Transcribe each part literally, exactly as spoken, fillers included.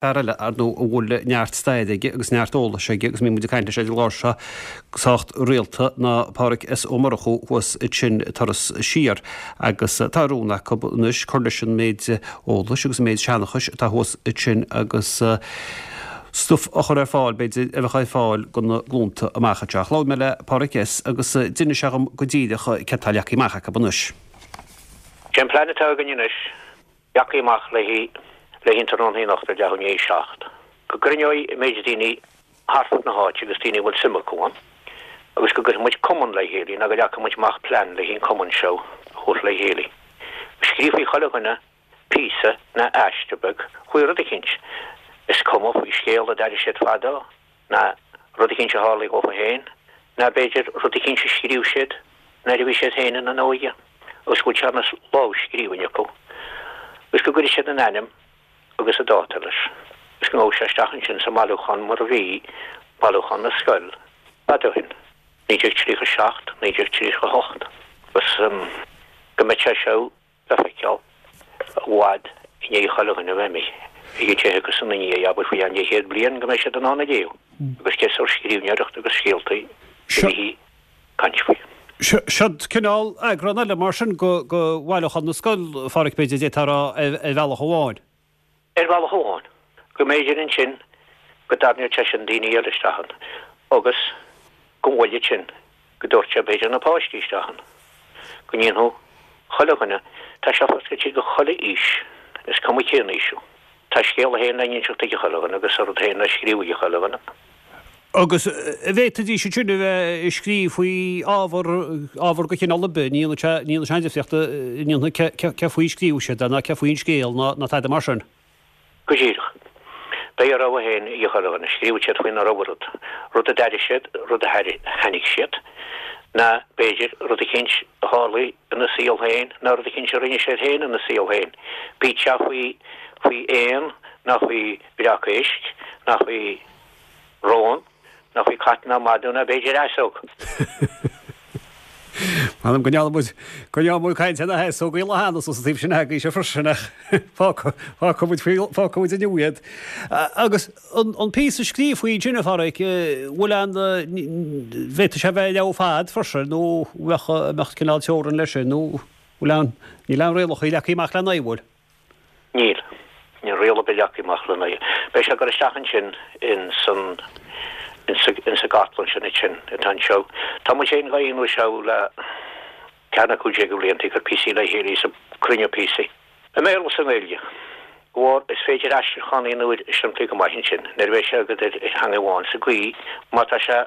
Fear eile, ar ndóigh, a bhfuil neart staire aige agus neart eolais aige agus mbíonn muid ag caint leis ar an gclár seo go sách rialta ná Pádhraic S. Ó Murchú thuas ansin Turas Siar agus tá rún acu anois cur leis an méid eolais agus an méid seanchais atá thuas ansin agus stuif a chur ar fáil, b'fhéidir, a bheadh ar fáil do na glúnta amach anseo. Labhair mé le Pádhraic S. agus d'inis sé dhom go díreach céard atá leagtha amach acu anois. Sé an plean atá againn anois, leagtha amach le haghaidh le haghaidh an tráthnóna anocht ar leath i ndiaidh a seacht, go gcruinneoidh an méid daoine thart fud na háite agus daoine a bhfuil suim acu ann, agus go gcuirfidh muid cumann le chéile, nó go leagfaidh muid amach plean le haghaidh an cumann seo a thabhairt le chéile. Go scríobhfaidh chuile dhuine píosa ná aiste beag faoi rud eicínt, is cuma faoi scéal a d'airigh siad fadó, ná rud eicínt a tharlaigh dhófa féin, ná b'fhéidir rud eicínt a scríobh siad nuair a bhí siad féin ina n-óige, agus go bhfuil sé ina lámhscríbhinn acu, agus go gcuirfidh siad a n-ainm agus a dáta leis, agus go ngabhfaidh sé isteach ansin sa mbailiúchán mar a bhí bailiúchán na scoil fad ó shin, naoi déag tríocha a seacht, naoi déag tríocha a hocht, agus go mbeidh sé seo le feiceáil i bhfad i ndiaidh chuile dhuine a bheith imithe, ag an tithe agus ina ndiaidh, abair faoi cheann leathchéad bliain, go mbeidh siad in ann a léamh agus cén sórt scríbhneoireacht agus scéaltaí a bhí ag caint faoi. Seod cineál eagrán eile mar sin de bhailiúchán na scol, a Pháraic, b'fhéidir, d'fhéadfá a rá, ar bhealach amháin. Ar bhealach amháin, go mb'fhéidir ansin go dtarraingeodh sé sin daoine eile isteach ann agus go bhfuil sin, go dtabharfadh sé b'fhéidir na páistí isteach ann, go ndéanfadh chuile dhuine, tá sé foscailte do chuile aois, is cuma cén aois thú. Tá a scéal féin le n-inseacht ag chuile dhuine agus a rud féin le scríobh ag chuile dhuine. Agus an bhféadfaidís ansin a bheith ag scríobh faoi ábhar, ábhar de chineál ar bith, ní dhéanfaidh sé, ní dhéanfaidh sé aon difríocht, ní dhéanfaidh cé, cé faoi a scríobhadh siad é ná cé faoi an scéal ná, ná tada mar sin. Go díreach. Beidh a rogha féin ag chuile dhuine, scríobhfaidh siad faoina rogha rud, rud a d'airigh siad, rud a chonaic siad, ná b'fhéidir rud eicínt a tharlaigh ina saol féin ná rud eicínt a rinne siad féin ina saol féin, bíodh sé faoi, faoi éan ná faoi bhreac éisc ná faoi. Rón, ná faoi cat ná madadh ná b'fhéidir easóg. M'anam go ndearna muid, go ndearna muid caint ar na heasógaí lá cheana sa taobh sin agaibhse freisin ach fágfaidh muid faoi, fágfaidh muid inniu iad. Agus an, an píosa a scríobhfaí ansin, a Pháraic, bhfuil aon, bhféadfadh sé a bheith leabhar fad freisin nó bheadh, mbeadh cineál teorainn leis sin nó bhfuil aon, níl aon rialacha leagtha amach lena aghaidh, bhfuil? Níl. Níl riail ar bith leagtha amach lena aghaidh. Beidh sé ag dul isteach ansin in san, in sa, in sa gcartlann sin ansin atá anseo. Tá muid féin dhá dhéanamh seo le ceathair nó cúig déag de bhlianta, ag cur píosaí le chéile is ag cruinniú píosaí. I mBéarla is i nGaeilge. Bharr, is féidir aistriúchán a dhéanamh air simplí go maith ansin, nuair a bheidh sé agat ar theanga amháin, sa gcaoi má tá sé,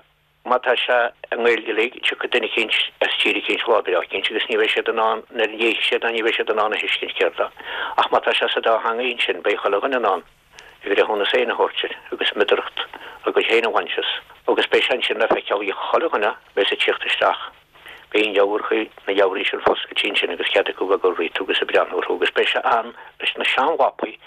Má tá sé i nGaeilge uilig, tiocfaidh duine eicínt as tír eicínt lá breá eicínt agus ní bheidh siad in ann, nuair a léifidh siad é, ní bheidh siad in ann a thuiscint céard é. Ach má tá sé sa dá theangaidh ansin, beidh chuile dhuine in ann a bhreithiúnas féin a thabhairt air agus meadaracht a gcuid féin a bhaint as. Agus beidh sé ansin le feiceáil ag chuile dhuine a bheas ag tíocht isteach. Beidh an leabharthaí, na leabharthaí sin foscailte ansin agus cead acu bheith ag dul ríotu agus ag breathnú orthu agus beidh sé ann leis na seanmhapaí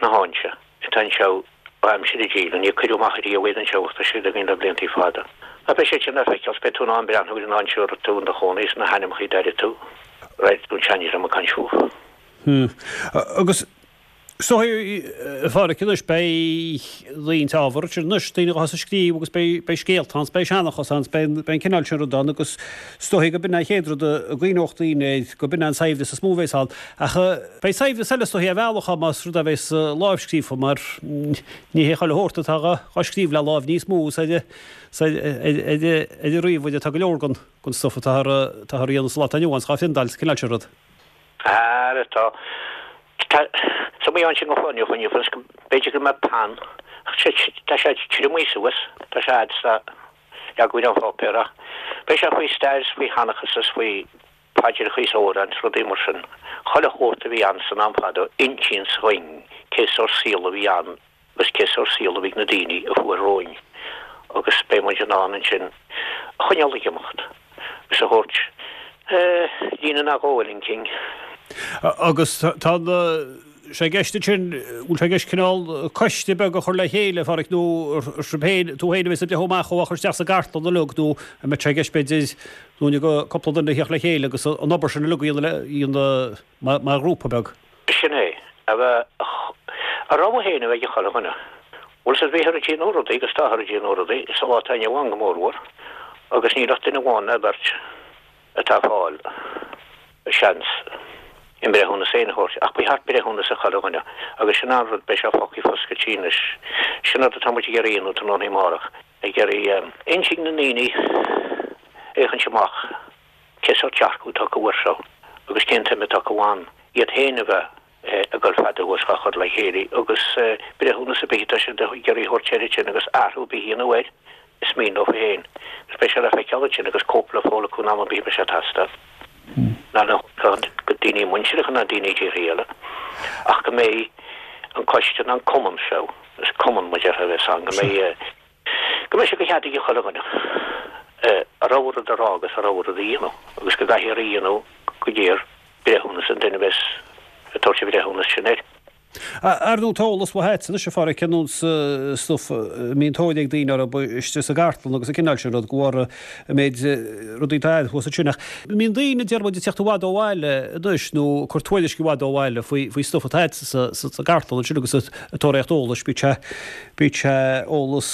na háinte atá anseo ó aimsir an díle, níor cuireadh amach ariamh iad anseo ach tá siad againn le bliantaí fada. Ach beidh siad sin le feiceáil 's beidh tú in ann breathnú ar an áit seo a raibh tú in do chónaí is na hainmneacha a d'airigh tú, raibh tú an seandream ag caint fúthu. Agus is dóigh, a Pháraic, anois beidh roinnt ábhar ansin anois, daoine atá ag scríobh agus beidh beidh scéalta ann, 's beidh seanchas ann, 's beidh beidh an cineál sin rud ann agus is dóigh go b'in an chéad rud a gcuimhneodh daoine air, go b'in an saibhreas is mó a bheas ann. Ach beidh saibhreas eile is dóigh ar bhealach ann más rud é a bheas lámhscríofa mar ní hé chuile shórt atá dhá scríobh le láimh níos mó is ar an ríomhaire atá go leor den stuif atáthar a dhéanamh sa lá atá inniu ann 's dhá phriondáil 's an cineál sin rud. Ara tá. Tá sa mhaith ansin go fóill inniu is b'fhéidir go mbeadh peann ach tá sé triomaithe suas, tá sé fhad 's tá leagadh ar an pháipéar ach beidh sé faoi stair 's faoi sheanchas is faoi paidreacha is amhráin is rudaí mar sin, chuile shórt a bhí ann san am fadó, insíonns dhuinn cé sórt saol a bhí ann agus cé sórt saol a bhí ag na daoine a fuair romhainn agus beidh muid in ann ansin a choinneáil ag imeacht agus a thabhairt líne nó dhó eile chun cinn. Agus tá na. sé i gceist ansin, bhfuil sé i gceist cineál coiste beag a chur le chéile, a Pháraic, nó sibh féin, tú féin a bheas ag breathnú amach ó a chur isteach sa gcartlann uilig nó an mbeidh sé i gceist b'fhéidir nó go cúpla duine a theacht le chéile agus an obair sin uilig a dhéanamh mar ghrúpa beag? Sin é, a bheith A rogha féin a bheidh ag chuile dhuine. Bhuel sea bhíthear ag déanamh rudaí agus táthar ag déanamh rudaí sa lá atá inniu ann go mórmhór agus níl ach duine amháin ná beirt atá ag fáil seans a mbreithiúnas féin a thabhairt ach ba cheart breithiúnas ag chuile dhuine agus sin an rud beidh sé fágtha foscailte anois. Sin rud atá muid ag iarraidh a dhéanamh tráthnóna amárach, ag iarraidh insint na ndaoine féachaint amach cé sórt dearcadh atá acu air seo agus cén tsuim atá acu ann, iad féin a bheith ag dul fada thuas dhá chur le chéile agus breithiúnas ar bith atá siad ag iarraidh a thabhairt air ansin agus athrú ar bith a dhéanamh air, is mian leo féin. Agus beidh sé le feiceáil ansin agus cóip le fáil acu in am ar bith a mbeidh sé ag teastáil. Ná le go daoine muinteartha ná daoine i dtíortha eile ach go mbeidh an coiste nó an cumann seo, is cumann mar déarfá a bheas ann, go mbeidh go mbeidh sé de chead ag chuile dhuine a rogha rud a rá agus a rogha rud a dhéanamh agus go gcaithfear a dhéanamh go léir breithiúnas an duine a bheas ag tabhairt an bhreithiúnas sin air. Ar ndóigh tá eolas mhaith agat anois a Pháraic ar nós stuif a mbíonn tóir ag daoine orthu istigh sa gcartlann agus an cineál sin rud de bharr an méid rudaí atá agat thuas ansin. Ach mbíonn daoine deir muid ag teacht i bhfad ó bhaile anois nó ag cur tuairisc i bhfad ó bhaile faoi faoi stuif atá agat sa sa gcartlann ansin agus ag tóraíocht eolais bíodh sé bíodh sé eolas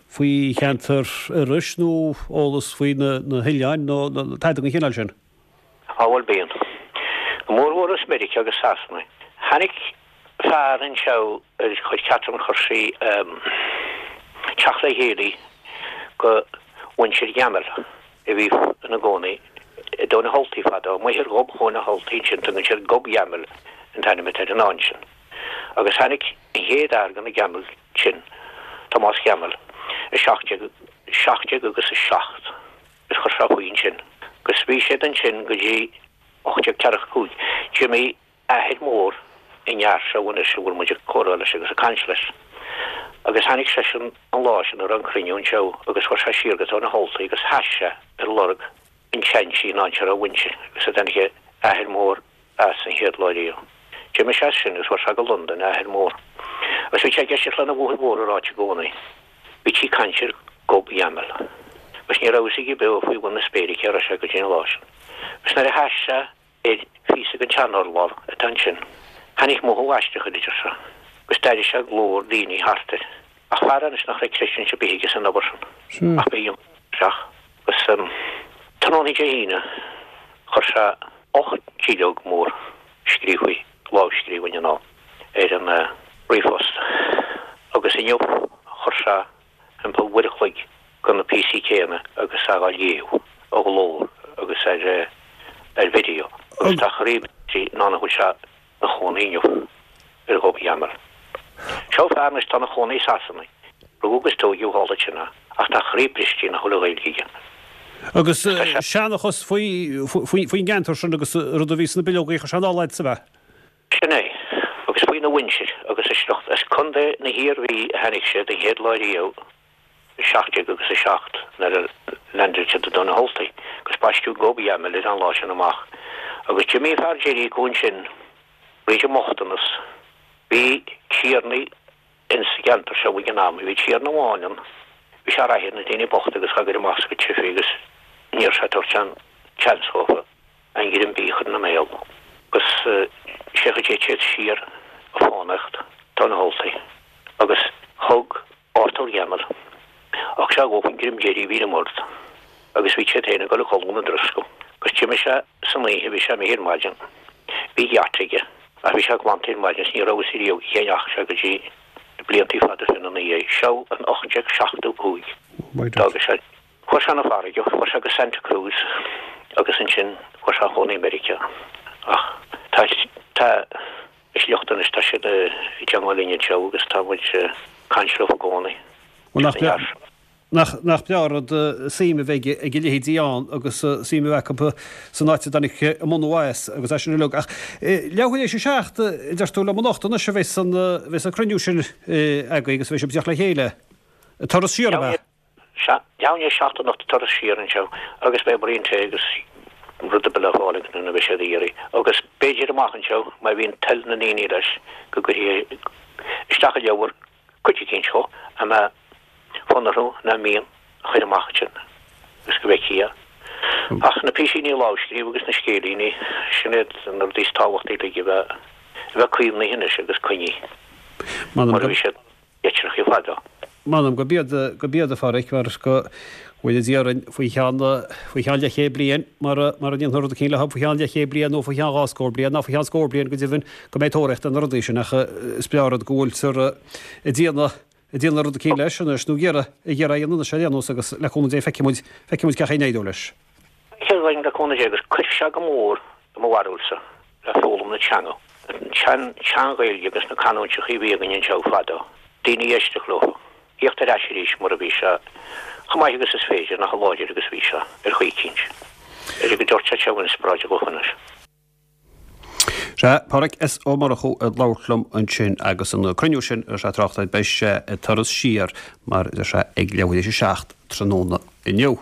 faoi cheantar Iorrais nó eolas faoi na na hoileáin nó tada den chineál sin. Á bhuel bíonn. Go mórmhór as Meiriceá agus Sasana. Tháinig fear anseo ar chuir Catherine chuir sí teacht le chéile go mhuintir Gemmell a bhí ina gcónaí i dTóin na hUltaí fadó, amuigh ar ghob Thóin na hUltaí ansin, tugann siad Gob Gemmell an t-ainm atá ar an áit sin. Agus tháinig an chéad fhear de na Gemmells sin, Tomás Gemmell, i seacht déag seacht déag agus a seacht is chuir sé faoi ansin. Agus bhí siad ansin go dtí ocht déag ceathracha a cúig. D'imigh athair mór an fhear seo anois a bhfuil muid ag comhrá leis agus ag caint leis. Agus tháinig seisean an lá sin a raibh an cruinniú anseo agus chuir sé siar go Tóin na hUltaí agus sheas sé ar lorg an tseansí an áit a raibh a mhuintir agus a dtáinig a athair mór as an chéad lá riamh. D'imigh sé as sin agus chuir sé go Londain a athair mór. Agus bhí sé ag éisteacht lena bhuachaill mhór ag ráit i gcónaí. Bhítí ag caint ar Gob Gemmell. Agus ní raibh fhios aige beo faoi bhun na spéire cé raibh sé go dtí an lá sin. Agus nuair a sheas sé ar phíosa den tsean-urlár atá ansin, tháinig mothú aisteach air, a deir sé, agus d'airigh sé glór daoine thart air. Ach fear anois nach raibh creistiúint ar bith aige san obair sin, ach b'é isteach. Agus tráthnóna Dé hAoine chuir sé ocht nduilleog mór scríofa, lámhscríbhinn anall ar an ríomhphost agus inniu chuir sé thimpeall uair a chloig de na píosaí céanna agus é á léamh ó ghlór agus ar ar video agus tá a chroí briste in ann a bhfuil sé ina chónaí inniu ar Ghob Gemmell. Seo fear anois atá ina chónaí i Sasana, rugadh agus tóigeadh thall ansin é, ach tá a chroí briste nach bhfuil an Ghaeilge aige. Agus seanchas faoi faoin gceantar sin agus rud a bhí sna bileogaí a chuir sé anall agat, ab ea? Sin é. Agus faoina mhuintir agus a sliocht. As Contae na hIarmhí a tháinig siad an chéad lá riamh i seacht déag agus a seacht nuair a leaindeáil siad i dTóin na hUltaí agus baisteadh Gob Gemmell ar an lá sin amach. Agus d'imigh an fear deiridh acu ansin fríd an mbochtanas. Bhí tiarnaí ins an gceantar seo ag an am. Bhí tiarna amháin ann, bhí sé ag rith ar na daoine bochta agus ag cur amach as a gcuid tithe agus ní raibh sé ag tabhairt aon chance dhófa aon ghreim bídh a chur ina mbéal. Agus sé an chaoi a dtéid siad siar ag fánaíocht Tóin na hUltaí agus thug Arthur Gemmell thug sé dhófa an greim deiridh a bhí ar an mbord agus bhí siad féin ag dul a chodladh ina dtroscadh. Agus d'imigh sé san oíche, bhí sé imithe ar maidin, bhí geata aige ach bhí sé glanta ar maidin is ní raibh fhios riamh cén ndeachaigh sé go dtí na bliantaí fada fina dhiaidh. Seo in ocht déag seachtó cúig. D'fhága sé, chuaigh sé 'na farraige, chuaigh sé go Santa Cruz agus ansin chuaigh sé a chónaí i Meiriceá. Ach tá, tá a shliocht anois, tá siad i dteangmháil linn anseo agus tá muid ag caint leo i gcónaí. Bhuel nach breá, nach, nach breá an rud suim a bheith ag a leithéidí ann agus suim a bheith acu san áit a dtáinig a mbunú as agus é sin uilig. Ach leathuair théis a seacht, a deir tú liom anocht anois a bheas an, bheas an cruinniú sin agaibh agus a bheidh sibh ag teacht le chéile. Turas siar ab ea? Sea, leathuair i ndiaidh a seacht anocht turas siar anseo agus beidh braon tae agus rud ar bith le fáil ag na a bheidh siad a iarraidh. Agus b'fhéidir amach anseo, má bhíonn toil na ndaoine leis, go gcuirfí isteach i leabhar cuid eicínt dhó a mbeadh fonn orthu ná mian a chur amach ansin agus go bhfeicfí é. Ach na písíní lámhscríofa agus na scéilíní, sin iad na rudaí is tábhachtaí uilig a bheith a bheith caomhnaithe anois agus coinnithe. Mar a bhí siad leitreachaí fadó. M'anam gurb iad, gurb iad a Pháraic, mar go bhfuil Dia orainn faoi cheann, faoi cheann leathchéad bliain, mara, mara ndéanfar rud eicínt leo faoi cheann leathchéad bliain nó faoi cheann dhá scór bliain, ná faoi cheann scór bliain go deimhin, go mbeidh tóraíocht ar na rudaí sin ach is breá an rud go bhfuiltear ag déanamh, ag déanamh rud eicínt leis anois nó ag iarraidh, ag iarraidh a dhéanamh anois ar aon nós agus le cúnamh Dé feicfidh muid, feicfidh muid cén chaoi a n-éireoidh leis. Feicfidh muid le cúnamh Dé agus cuirfidh sé go mór i mo bharúilsa le foghlaim na teanga, an tsean, tsean-Ghaeilge agus na canúinteachaí a bhí againn anseo fadó, daoine ag éisteacht leo, thíocht ar ais arís mar a bhí sé, chomh maith agus is féidir, nó chomh láidir agus a bhí sé, ar chaoi eicínt. B'fhéidir go dtabharfadh sé inspioráid dhófa anois. Sea, Páraic S. Ó Murchú ag labhairt liom ansin agus an cruinniú sin a raibh sé ag trácht air, beidh sé ag Turas Siar, mar a deir sé, ag leathuair théis a seacht tráthnóna inniu.